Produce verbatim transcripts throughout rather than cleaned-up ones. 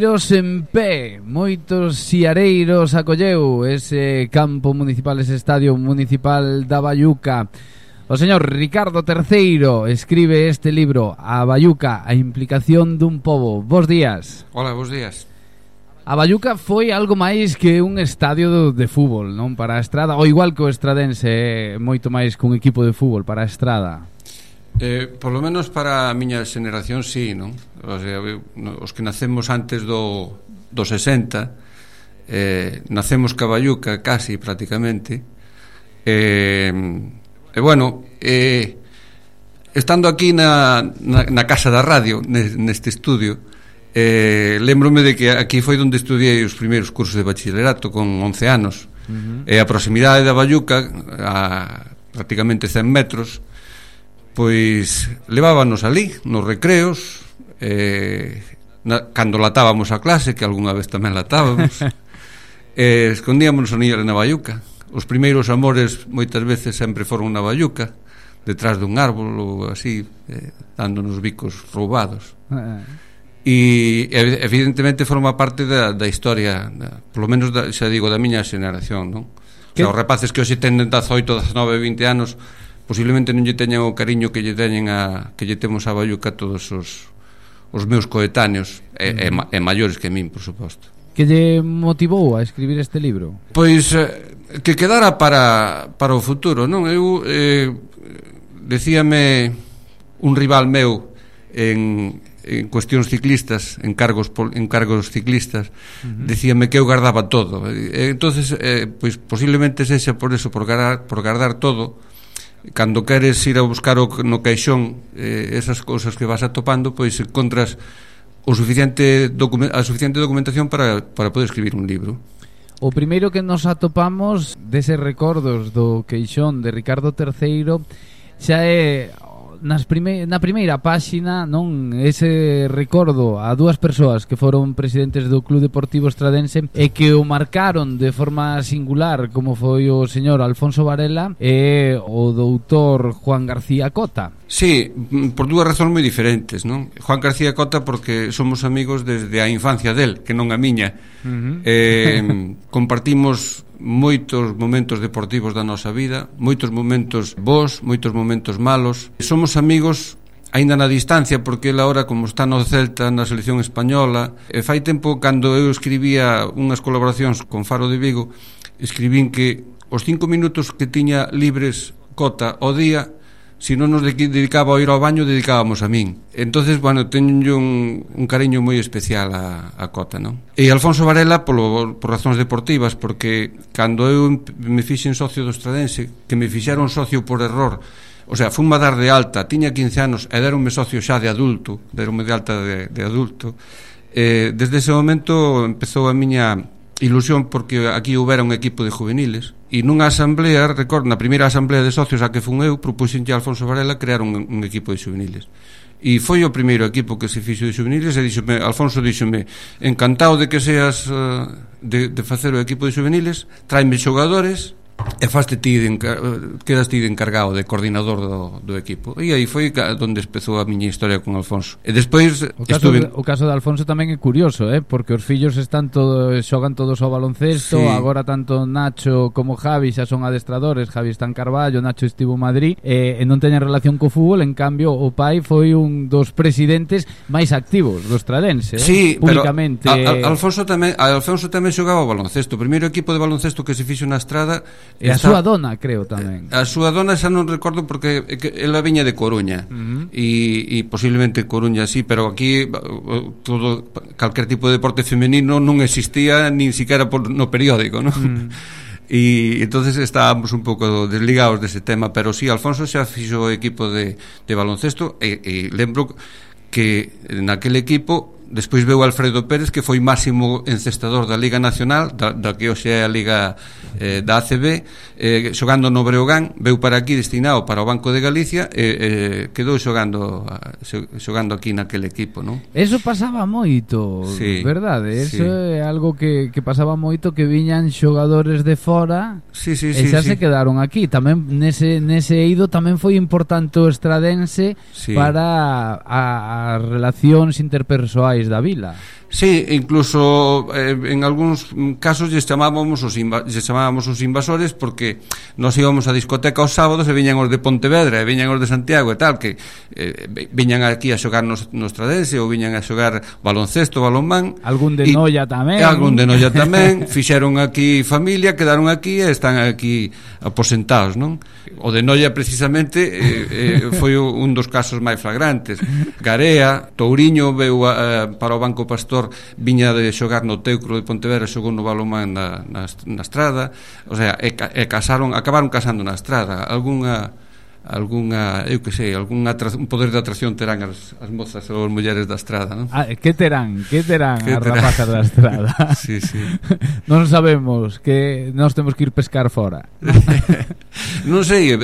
Siareiros en pé, moitos siareiros acolleu ese campo municipal, ese estadio municipal da Baiuca. O señor Ricardo terceiro escribe este libro, A Baiuca, a implicación dun pobo. Bos días. Hola, bos días. A Baiuca foi algo máis que un estadio de fútbol, non? Para a Estrada, ou igual que o Estradense, é moito máis que un equipo de fútbol para a Estrada. Eh, por lo menos para a miña xeneración, sí, non? O sea, os que nacemos antes do, do sesenta, eh, nacemos ca Baiuca casi, prácticamente. Eh, e bueno, eh, estando aquí na, na, na casa da radio, neste estudio, Eh, lembrome de que aquí foi onde estudiei os primeiros cursos de bachillerato con once anos. Uh-huh. E a proximidade da Baiuca, a prácticamente cen metros, pois levábanos ali nos recreos, eh, na, cando latábamos a clase, que algunha vez tamén latábamos, eh, escondíamos os niños na Baiuca. Os primeiros amores moitas veces sempre foron na Baiuca, detrás dun árbol ou así, eh, dándonos bicos roubados. Uh-huh. E evidentemente forma parte da, da historia da, polo menos da, xa digo, da miña xeneración, non? O sea, os rapaces que hoxe tenen dezaoito, dezanove, vinte anos posiblemente non lle teñan o cariño que lle teñen a, que lle temos a Baiuca todos os, os meus coetáneos e, mm. e, e maiores que min, por suposto. Que lle motivou a escribir este libro? Pois eh, que quedara para, para o futuro, non? Eu eh, decíame un rival meu en en cuestións ciclistas, en cargos en cargos ciclistas, uh-huh. decíame que eu guardaba todo. E, entonces, eh, pois posiblemente sexa por eso, por guardar, por guardar todo. Cando queres ir a buscar o, no caixón eh, esas cousas que vas atopando, pois encontras o suficiente document, a suficiente documentación para, para poder escribir un libro. O primeiro que nos atopamos deses recordos do queixón de Ricardo terceiro xa é nas prime, na primeira páxina, non, ese recordo a dúas persoas que foron presidentes do Club Deportivo Estradense e que o marcaron de forma singular, como foi o señor Alfonso Varela e o doutor Juan García Cota. Sí, por dúas razóns moi diferentes, non? Juan García Cota porque somos amigos desde a infancia del, que non a miña. Uh-huh. eh, compartimos moitos momentos deportivos da nosa vida, moitos momentos bons, moitos momentos malos. Somos amigos aínda na distancia, porque ele agora, como está no Celta, na selección española, e fai tempo, cando eu escribía unhas colaboracións con Faro de Vigo, escribín que os cinco minutos que tiña libres Cota ao día, se non nos dedicaba a ir ao baño, dedicábamos a min. Entonces, bueno, teño un, un cariño moi especial a, a Cota, non? E Alfonso Varela polo, por razóns deportivas, porque cando eu me fixen socio do Estradense, que me fixeron socio por error, o sea, fun a dar de alta, tiña quince anos e deronme socio xa de adulto, deronme de alta de, de adulto, eh, desde ese momento empezou a miña ilusión, porque aquí houbera un equipo de juveniles e nunha asamblea, recordo, na primeira asamblea de socios a que fun eu, propuxenlle a Alfonso Varela crear un, un equipo de juveniles e foi o primeiro equipo que se fixo de juveniles e díxome, Alfonso díxome, encantado de que seas uh, de, de facer o equipo de juveniles, tráeme xogadores e faste ti de encar... quedas ti de encargado, de coordinador do, do equipo. E aí foi onde empezou a miña historia con Alfonso. E despois o caso, estuve... de, o caso de Alfonso tamén é curioso, eh? Porque os fillos están todo, xogan todos ao baloncesto, sí. Agora tanto Nacho como Javi xa son adestradores, Javi está en Carballo, Nacho estivo en Madrid, e, e non teñen relación co fútbol. En cambio o pai foi un dos presidentes máis activos do Estradense, eh? Sí, públicamente. Pero a, a, Alfonso tamén, a Alfonso tamén xogaba o baloncesto. O primeiro equipo de baloncesto que se fixo na Estrada. E a súa dona, creo, tamén. A súa dona xa non recordo, porque ela viña de Coruña, uh-huh. e, e posiblemente Coruña sí, pero aquí todo, calquer tipo de deporte femenino non existía nin siquiera por, no periódico, non? Uh-huh. E entonces estábamos un pouco desligados dese tema, pero sí, Alfonso xa fixo o equipo de, de baloncesto e, e lembro que naquele equipo despois veu Alfredo Pérez, que foi máximo encestador da Liga Nacional, da, da que hoxe é a Liga eh, da A C B, eh, xogando no Breogán, veu para aquí destinado para o Banco de Galicia e eh, quedou xogando xogando aquí naquele equipo, non? Eso pasaba moito, sí, verdade? Eso sí. É algo que, que pasaba moito, que viñan xogadores de fora, sí, sí, e xa sí, se sí. quedaron aquí. Tamén nese, nese eido tamén foi importante o Estradense, sí, para as relacións interpersoais da vila. Sí, incluso eh, en algúns casos lles chamábamos os inva- lles chamábamos os invasores porque nos íbamos a discoteca os sábados e viñan os de Pontevedra e viñan os de Santiago e tal, que eh, viñan aquí a xogar nos, nos Tradense ou viñan a xogar baloncesto, balonmán. Algún de Noia tamén. Algún de Noia tamén. Fixeron aquí familia, quedaron aquí e están aquí aposentados, non? O de Noia precisamente eh, eh, foi un dos casos máis flagrantes. Garea, Touriño veu a, a, para o Banco Pastor, viña de xogar no Teucro de Pontevedra, xogou no balonmán na, na, na Estrada, o sea, e, e casaron, acabaron casando na Estrada. Algúnha algunha, eu que sei, algún un poder de atracción terán as, as mozas ou as mulleres da Estrada, non? Ah, que terán, que terán que as terán? rapazas da Estrada? Sí, sí. Non sabemos, que nós temos que ir pescar fora. Non sei,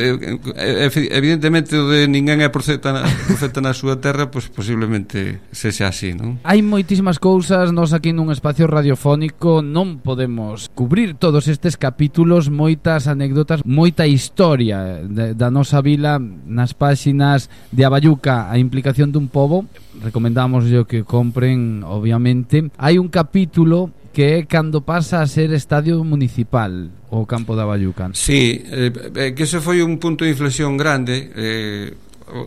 evidentemente o de ninguén é profeta na, profeta na súa terra, pois pues posiblemente sexa así, non? Hai moitísimas cousas, nós aquí nun espacio radiofónico non podemos cubrir todos estes capítulos, moitas anécdotas, moita historia de, da nosa vida nas páxinas de Abayuca, a implicación dun pobo. Recomendamos yo que compren, obviamente. Hai un capítulo que é cando pasa a ser estadio municipal o campo de Abayuca. Sí, eh, que ese foi un punto de inflexión grande. eh,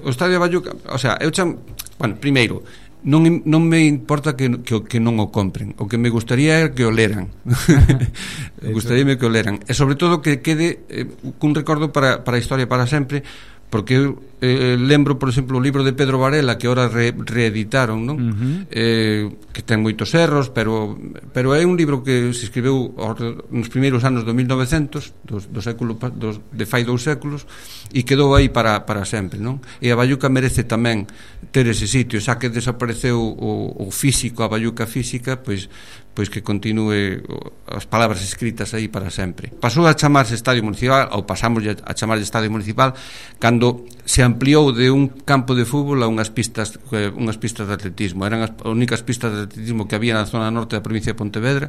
o estadio de Abayuca, o sea, eu cham... bueno, primeiro, non, non me importa que, que, que non o compren, o que me gustaría é que o leran. Gustaríame que o leran, e sobre todo que quede eh, cun recordo para, para a historia para sempre, porque eu eh, lembro, por exemplo, o libro de Pedro Varela que ahora re, reeditaron, non? Uh-huh. eh, que ten moitos erros, pero pero é un libro que se escribeu nos primeiros anos do mil novecentos, do, do século dos, de fai dous séculos, e quedou aí para, para sempre, non? E a Abayuca merece tamén ter ese sitio, xa que desapareceu o, o físico, a Abayuca física, pois pois que continúe as palabras escritas aí para sempre. Pasou a chamarse Estadio Municipal, ou pasamos a chamarse Estadio Municipal, cando se ampliou de un campo de fútbol a unhas pistas unhas pistas de atletismo. Eran as únicas pistas de atletismo que había na zona norte da provincia de Pontevedra.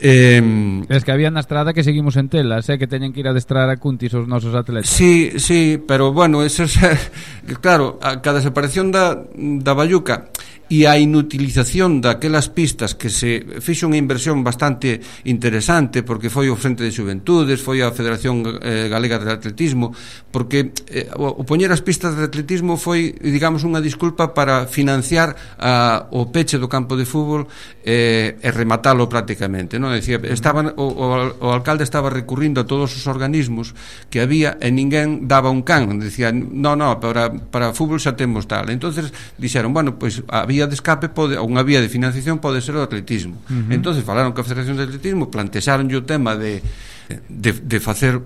Eh, es que había na Estrada que seguimos en telas, eh, que teñen que ir a adestrar a Cuntis os nosos atletas. Sí, sí, pero bueno, eso es, claro, a cada desaparición da, da Abayuca e a inutilización daquelas pistas, que se fixo unha inversión bastante interesante, porque foi o Frente de Xuventudes, foi a Federación eh, Galega de Atletismo, porque eh, o, o poñer as pistas de atletismo foi, digamos, unha disculpa para financiar a, o peche do campo de fútbol eh, e rematalo prácticamente, non? Decía, estaban, o, o, o alcalde estaba recurrindo a todos os organismos que había e ninguén daba un can, decía, no, no, para, para fútbol xa temos tal. Entonces dixeron, bueno, pois pues, había de escape pode, unha vía de financiación pode ser o atletismo. Uh-huh. Entonces falaron con a Federación de Atletismo, plantexaron o tema de, de, de facer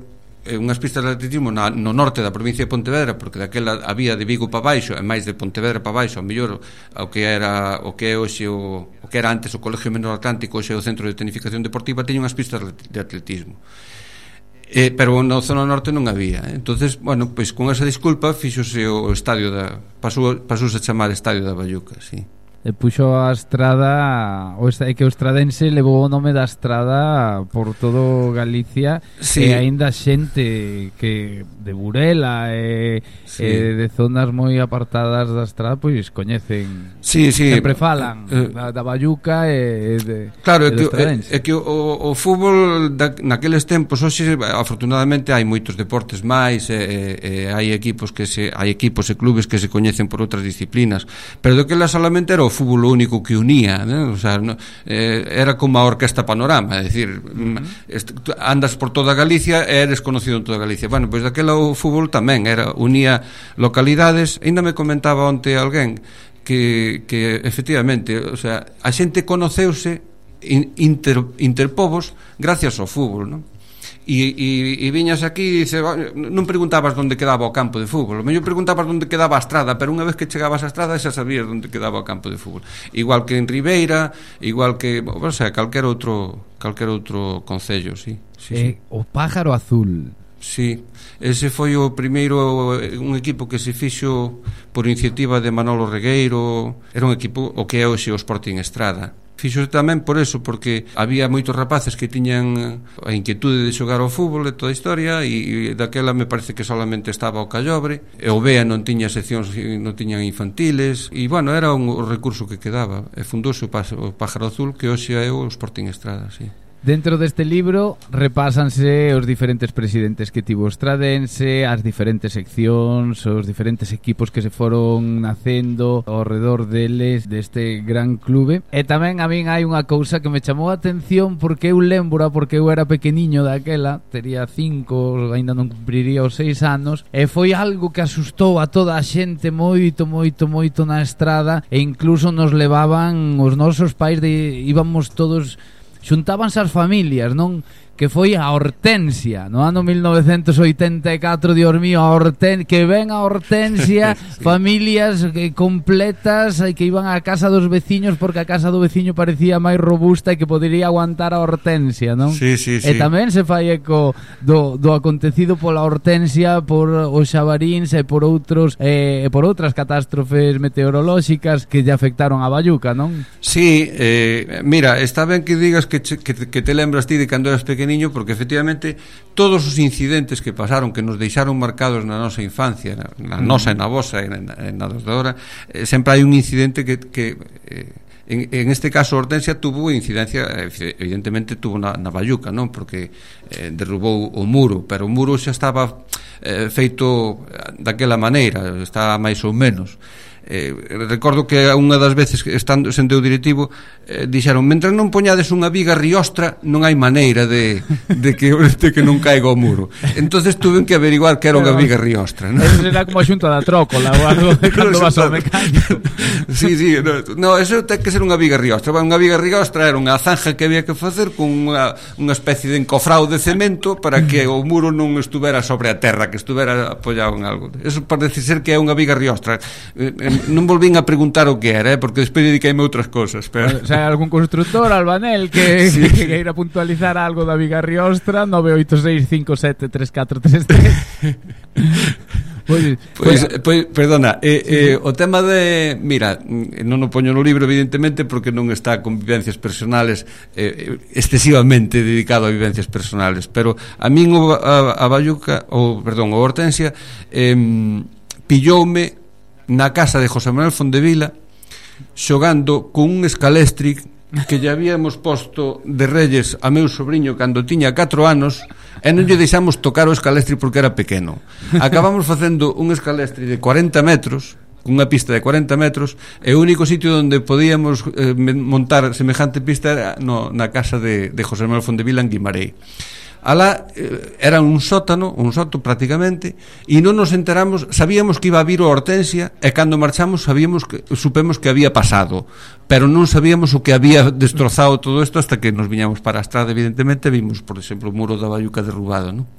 unhas pistas de atletismo na, no norte da provincia de Pontevedra, porque daquela había de Vigo para baixo e máis de Pontevedra para baixo, ao mellor o que era o que é hoxe o, o que era antes o Colegio Menor Atlántico, hoxe o Centro de Tecnificación Deportiva, teña unhas pistas de atletismo. Eh, pero na zona norte non había. Entonces, bueno, pois con esa disculpa fíxose o estadio da pasou pasouse a chamar Estadio da Abayuca, sí. E puxo a Estrada, o é que o estradense levou o nome da Estrada por todo Galicia, sí. E aínda xente que de Burela e, sí. E de zonas moi apartadas da Estrada pois coñecen, sí, sí. Sempre falan eh, da, da Abayuca e de, claro, de é que, é, é que o, o fútbol da, naqueles tempos, hoxe afortunadamente hai moitos deportes máis e, e, e hai equipos que se hai equipos e clubes que se coñecen por outras disciplinas, pero do que la solamente era o fútbol único que unía, ¿no? O sea, no, eh, era como a Orquesta Panorama, é dicir, uh-huh. Andas por toda Galicia e eres conocido en toda Galicia. Bueno, pois daquela o fútbol tamén era, unía localidades. Ainda me comentaba onte alguén que, que efectivamente, o sea, a xente conoceuse inter, interpovos gracias ao fútbol, non? E, e, e viñas aquí e dice, non preguntabas onde quedaba o campo de fútbol, o mellor preguntabas onde quedaba a Estrada, pero unha vez que chegabas a Estrada xa sabías onde quedaba o campo de fútbol, igual que en Ribeira, igual que, o sea, calquer outro calquer outro concello, sí, sí, eh, sí. O Pájaro Azul Sí, ese foi o primeiro, un equipo que se fixo por iniciativa de Manolo Regueiro. Era un equipo o que é hoxe o Sporting Estrada. Fixo tamén por eso, porque había moitos rapaces que tiñan a inquietude de xogar ao fútbol e toda a historia, e, e daquela me parece que solamente estaba o Callobre, e o B E A non tiña seccións, non tiñan infantiles, e bueno, era un recurso que quedaba, e fundouse o Pájaro Azul, que hoxe é o Sporting Estrada, sí. Dentro deste libro repásanse os diferentes presidentes que tivo o Estradense, as diferentes seccións, os diferentes equipos que se foron nacendo ao redor deles, deste gran clube. E tamén a min hai unha cousa que me chamou a atención, porque eu lembro, porque eu era pequeniño daquela, tería cinco, ainda non cumpriría os seis anos, e foi algo que asustou a toda a xente moito, moito, moito na estrada, e incluso nos levaban os nosos pais, de íbamos todos, xuntábanse as familias, non? Que foi a Hortensia no ano mil novecentos oitenta e catro. Dios mío, a Horten que ven a Hortensia, sí. Familias que, completas, que iban á casa dos veciños porque a casa do veciño parecía máis robusta e que podería aguantar a Hortensia, non? Sí, sí, sí. E tamén se fai eco do, do acontecido pola Hortensia, por os xabaríns e por outros e eh, por outras catástrofes meteorolóxicas que lle afectaron a Bayuca, non? Sí, eh, mira, está ben que digas que, que, que te lembras ti de cando eras pequeno, porque efectivamente todos os incidentes que pasaron, que nos deixaron marcados na nosa infancia, na, na nosa e na vosa e na, na dos de ahora, eh, sempre hai un incidente que, que eh, en, en este caso Hortensia tuvo incidencia, evidentemente tuvo na, na Bayuca, non? Porque eh, derrubou o muro, pero o muro xa estaba eh, feito daquela maneira, está máis ou menos. Eh, recordo que unha das veces estando sendo eu directivo eh, dixeron, mentre non poñades unha viga riostra non hai maneira de, de, que, de que non caiga o muro. Entonces tuve que averiguar que era unha viga riostra, ¿no? Eso será como a xunta da trócola ou algo de cando vas ao mecánico. Sí, sí, no, no, eso ten que ser unha viga riostra. Unha viga riostra era unha zanja que había que facer con unha, unha especie de encofrado de cemento para que o muro non estuvera sobre a terra, que estuvera apoiado en algo. Eso parece ser que é unha viga riostra. eh, Non volvín a preguntar o que era, eh, porque despois dediqueime a outras cosas, pero... O sea, algún constructor, Albanel, que, sí. que, que ir a puntualizar algo da viga riostra. Nove oito seis cinco sete tres catro tres tres. Pois, pois, pois, perdona, eh, eh, o tema de... Mira, non o poño no libro, evidentemente, porque non está con vivencias personales, eh, excesivamente dedicado a vivencias personales, pero a min o, a, a Bayuca, ou, perdón, o Hortensia, eh, pilloume na casa de José Manuel Fondevila xogando con un escalestri que lle habíamos posto de Reyes a meu sobrinho cando tiña catro anos, e non lle deixamos tocar o escalestri porque era pequeno. Acabamos facendo un escalestri de cuarenta metros, unha pista de cuarenta metros, e o único sitio onde podíamos eh, montar semejante pista era no, na casa de, de José Manuel Fondevila en Guimarei. Alá eh, era un sótano, un soto prácticamente, e non nos enteramos, sabíamos que iba a vir o Hortensia, e cando marchamos sabíamos que, supemos que había pasado, pero non sabíamos o que había destrozado todo isto hasta que nos viñamos para a estrada, evidentemente, vimos, por exemplo, o muro da Bayuca derrubado, non?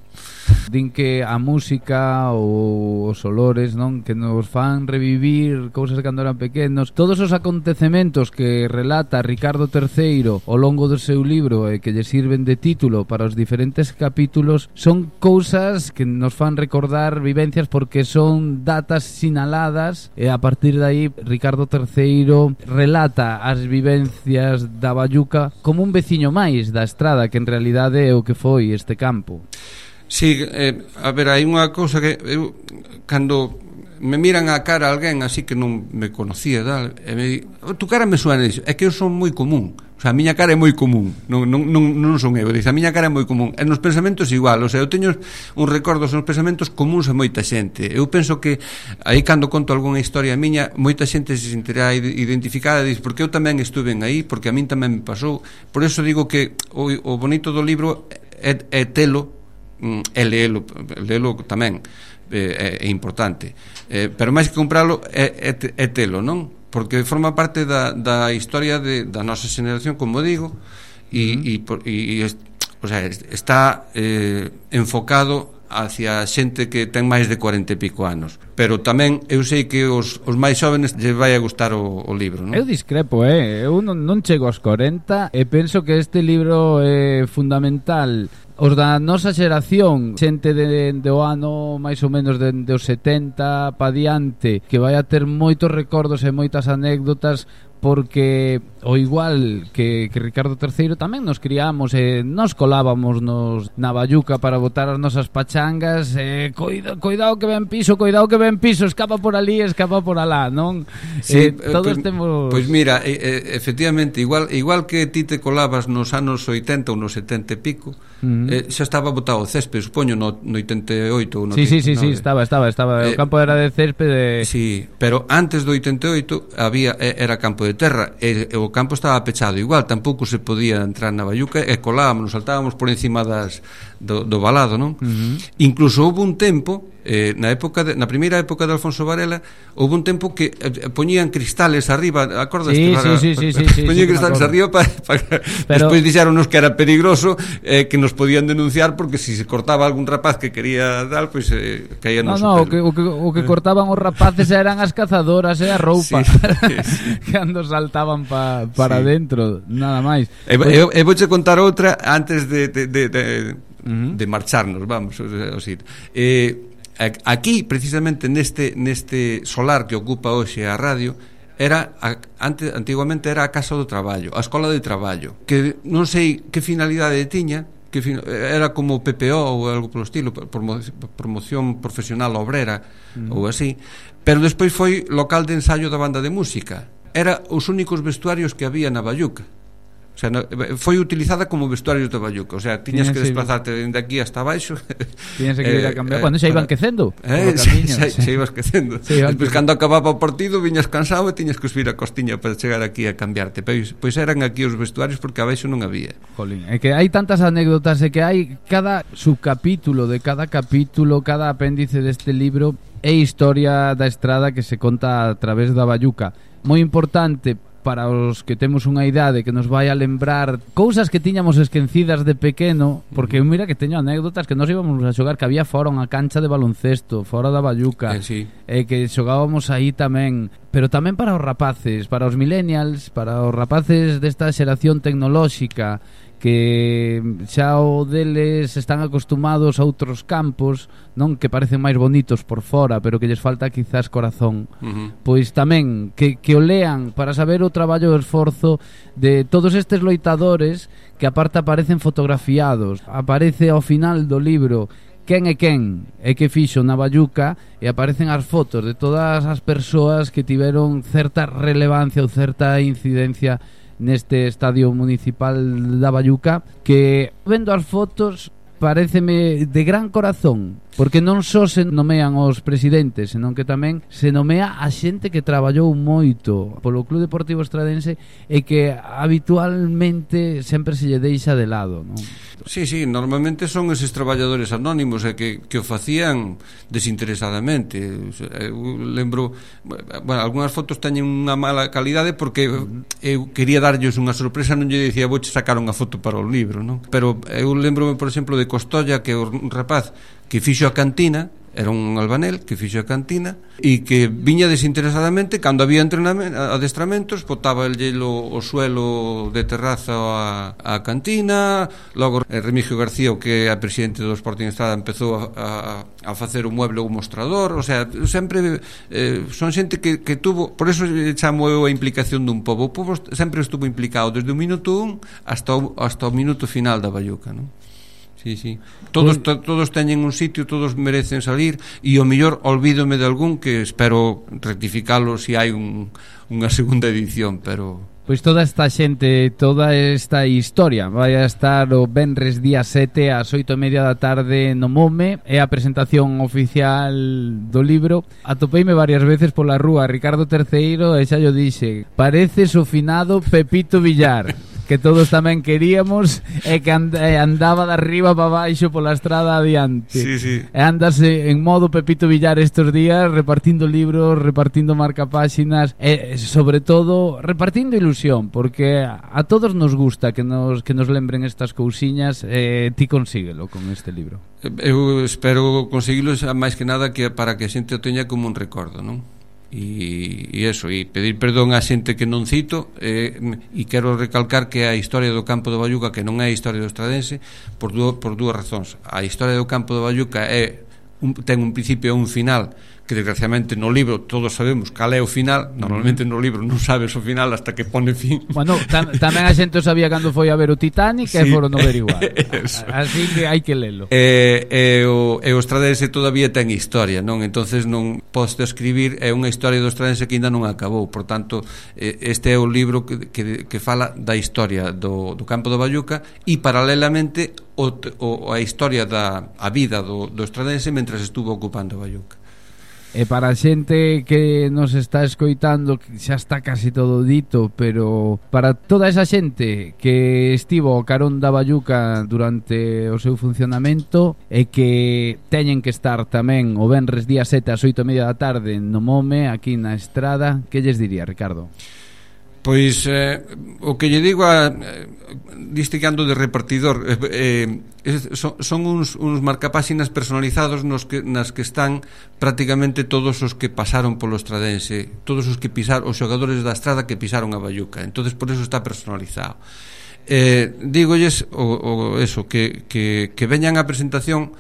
Din que a música ou os olores, non, que nos fan revivir cousas cando eran pequenos. Todos os acontecementos que relata Ricardo terceiro ao longo do seu libro e que lle sirven de título para os diferentes capítulos son cousas que nos fan recordar vivencias, porque son datas sinaladas, e a partir de aí Ricardo terceiro relata as vivencias da Bayuca como un veciño máis da estrada, que en realidade é o que foi este campo. Sí, eh, a ver, hai unha cousa que eu, cando me miran a cara a alguén así que non me conocía, tal, e me di, oh, tu cara me suena, dice, é que eu son moi común, o sea, a miña cara é moi común, non, non, non, non son eu, dice, a miña cara é moi común, e nos pensamentos igual, o sea, eu teño un recordo nos pensamentos comuns a moita xente. Eu penso que aí cando conto algunha historia miña, moita xente se sentirá identificada, dice, porque eu tamén estuve aí, porque a min tamén me pasou. Por eso digo que o, o bonito do libro é, é telo e leelo, leelo tamén é, é importante, é, pero máis que compralo é, é, é telo, non? Porque forma parte da, da historia de, da nosa xeración, como digo, e, uh-huh. e, e, e o sea, está eh, enfocado hacia xente que ten máis de cuarenta e pico anos, pero tamén eu sei que os, os máis xóvenes lle vai a gustar o, o libro, non? Eu discrepo, eh? eu non, non chego aos corenta e penso que este libro é fundamental. Os da nosa xeración, xente de, de o ano máis ou menos de, de os setenta pa diante, que vai a ter moitos recordos e moitas anécdotas, porque o igual que, que Ricardo terceiro tamén nos criamos e nos colábamos nos na Bayuca para botar as nosas pachangas e coida, coidado que ven piso, coidado que ven piso, escapa por ali, escapa por alá, non? Sí, eh, todos pues, temos... Pois pues mira, eh, efectivamente, igual igual que ti te colabas nos anos oitenta ou nos setenta e pico, uh-huh. eh, xa estaba botado o césped, supoño, no, no oitenta e oito ou no Sí, sí, sí, no, sí, estaba, estaba, estaba, eh, o campo era de césped de... Sí, pero antes do oitenta e oito había, era campo de terra e, e o campo estaba pechado igual, tampouco se podía entrar na Bayuca e colábamos, saltábamos por encima das, do, do valado, non? Uh-huh. Incluso houve un tempo eh, na época de, na primeira época de Alfonso Varela houve un tempo que eh, poñían cristales arriba, acordas? Sí, para, sí, sí, sí, sí, sí, poñían sí, cristales arriba para, para pero... despois dixéronos que era peligroso, eh, que nos podían denunciar porque si se cortaba algún rapaz que quería dar, pois pues, eh, caía no, no, no, o que, o, que, o que cortaban os rapaces eran as cazadoras e a roupa, sí, sí. Cando saltaban pa, para sí. dentro, nada máis. E, pues... eu, eu vouche contar outra antes de, de, de, de, uh-huh. de marcharnos, vamos, o sea, eh, aquí, precisamente neste neste solar que ocupa hoxe a radio, era a, antes, antiguamente era a Casa do Traballo, a Escola de Traballo, que non sei que finalidade tiña, que fin, era como P P O ou algo polo estilo, promo, promoción profesional obrera, mm. ou así, pero despois foi local de ensaio da banda de música. Era os únicos vestuarios que había na Bayuca. O sea, no, foi utilizada como vestuario de Bayuca. O sea, tiñas que desplazarte dende aquí hasta abaixo. Tiñas que ir a cambiar. Cando xa iban quecendo. Eh, xa, xa, xa ibas quecendo. Despois, cando acababa o partido, viñas cansado e tiñas que subir a costiña para chegar aquí a cambiarte. Pois, pois eran aquí os vestuarios porque abaixo non había. Jolín, é que hai tantas anécdotas e que hai cada subcapítulo de cada capítulo, cada apéndice deste libro é historia da estrada que se conta a través da Bayuca. Moi importante para os que temos unha idade que nos vai a lembrar cousas que tiñamos esquecidas de pequeno, porque mira que teño anécdotas que nos íbamos a xogar, que había fora unha cancha de baloncesto fora da Bayuca, eh, sí. e que xogábamos aí tamén, pero tamén para os rapaces, para os millennials, para os rapaces desta xeración tecnolóxica que xa o deles están acostumados a outros campos, non, que parecen máis bonitos por fora, pero que lles falta quizás corazón. Uh-huh. Pois tamén que, que o lean para saber o traballo e o esforzo de todos estes loitadores que aparte aparecen fotografiados. Aparece ao final do libro quen é quen e que fixo na Bayuca e aparecen as fotos de todas as persoas que tiveron certa relevancia ou certa incidencia neste estadio municipal da Bayuca, que vendo as fotos paréceme de gran corazón, porque non só se nomean os presidentes, senón que tamén se nomea a xente que traballou moito polo Club Deportivo Estradense e que habitualmente sempre se lle deixa de lado, non? Sí, sí, normalmente son eses traballadores anónimos e que, que o facían desinteresadamente. Eu lembro, bueno, algunhas fotos teñen unha mala calidade porque eu quería darlles unha sorpresa, non lle dicía vouche sacar unha foto para o libro, non? Pero eu lembro, por exemplo, de Costolla, que é un rapaz que fixo a cantina, era un albanel que fixo a cantina e que viña desinteresadamente cando había entrenamentos, adestramentos, botaba el hielo o suelo de terraza a, a cantina. Logo Remigio García, o que é a presidente do Sporting Estrada, empezou a, a, a facer un mueble ou un mostrador. O sea, sempre eh, son xente que, que tuvo, por eso chamo eu a implicación dun pobo. O pobo sempre estuvo implicado desde o minuto un hasta o, hasta o minuto final da Bayuca, non? Sí, sí. Todos, to, todos teñen un sitio, todos merecen salir e o mellor olvídome de algún que espero rectificalo se si hai un, unha segunda edición, pero... Pois toda esta xente, toda esta historia vai a estar o venres día sete ás oito e media da tarde no Mome, é a presentación oficial do libro. Atopeime varias veces pola rúa Ricardo terceiro e xa yo dixe, pareces o finado Pepito Villar. que todos tamén queríamos e que and, eh, andaba de arriba para baixo pola estrada adiante. Sí, sí. E andase en modo Pepito Villar estes días repartindo libros, repartindo marcapáxinas e sobre todo repartindo ilusión, porque a todos nos gusta que nos, que nos lembren estas cousiñas e eh, ti consíguelo con este libro. Eu espero conseguilo máis que nada que para que a xente o teña como un recordo, non? E, e eso, e pedir perdón á xente que non cito eh, e quero recalcar que a historia do campo do Bayuca, que non é a historia do Estradense, por, dúo, por dúas razóns. A historia do campo do Bayuca é un, ten un principio e un final, que desgraciadamente no libro todos sabemos cal é o final. Normalmente no libro non sabes o final hasta que pone fin. Bueno, tam, tamén a xente sabía cando foi a ver o Titanic, sí. E foron no ver igual. Así que hai que lelo. E, e, o, e o Estradense todavía ten historia, non? Entonces non podes escribir, é unha historia do Estradense que ainda non acabou. Por tanto, este é o libro que, que, que fala da historia do, do campo do Bayuca e paralelamente o, o, a historia da a vida do, do Estradense mentras estuvo ocupando o Bayuca. E para a xente que nos está escoitando, xa está casi todo dito, pero para toda esa xente que estivo ao carón da Bayuca durante o seu funcionamento e que teñen que estar tamén o venres día sete ás oito e media da tarde no Mome, aquí na Estrada, que lles diría, Ricardo? Pois eh, o que lle digo a eh, diste que ando de repartidor eh, eh, son, son uns, uns marcapáxinas personalizados nos que, nas que están prácticamente todos os que pasaron polo Estradense, todos os que pisaron, os xogadores da Estrada que pisaron a Bayuca. Entonces por eso está personalizado. eh, dígolles o, o eso, que, que, que veñan á presentación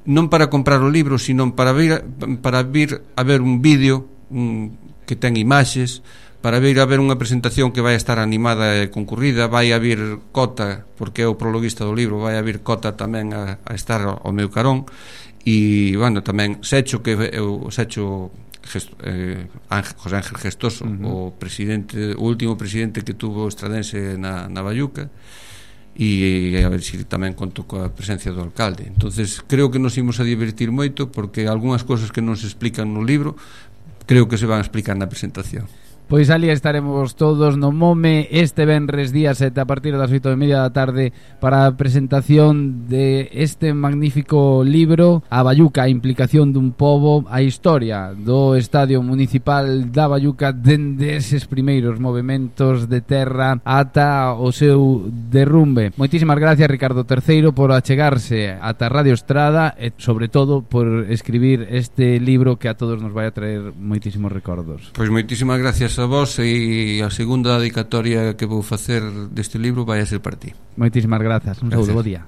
non para comprar o libro, sino para vir, para vir a ver un vídeo un, que ten imaxes, para vir a ver unha presentación que vai estar animada e concurrida. Vai a vir Cota, porque é o prologuista do libro, vai a vir Cota tamén a, a estar ao meu carón, e, bueno, tamén Secho, que é o Secho Gesto, eh, Ángel, José Ángel Gestoso, uh-huh. o presidente, o último presidente que tuvo o Estradense na, na Bayuca, e a ver se si tamén conto coa presencia do alcalde. Entonces creo que nos imos a divertir moito, porque algunhas cousas que non se explican no libro creo que se van a explicar na presentación. Pois ali estaremos todos no Mome este venres día sete a partir das oito e media da tarde para a presentación de este magnífico libro, A Bayuca, a implicación dun pobo, a historia do Estadio Municipal da Bayuca dende eses primeiros movementos de terra ata o seu derrumbe. Moitísimas gracias, Ricardo terceiro, por achegarse ata Radio Estrada e sobre todo por escribir este libro que a todos nos vai a traer moitísimos recordos. Pois moitísimas gracias a vos, e a segunda dedicatoria que vou facer deste libro vai a ser para ti. Moitísimas grazas, un saúdo, bo día.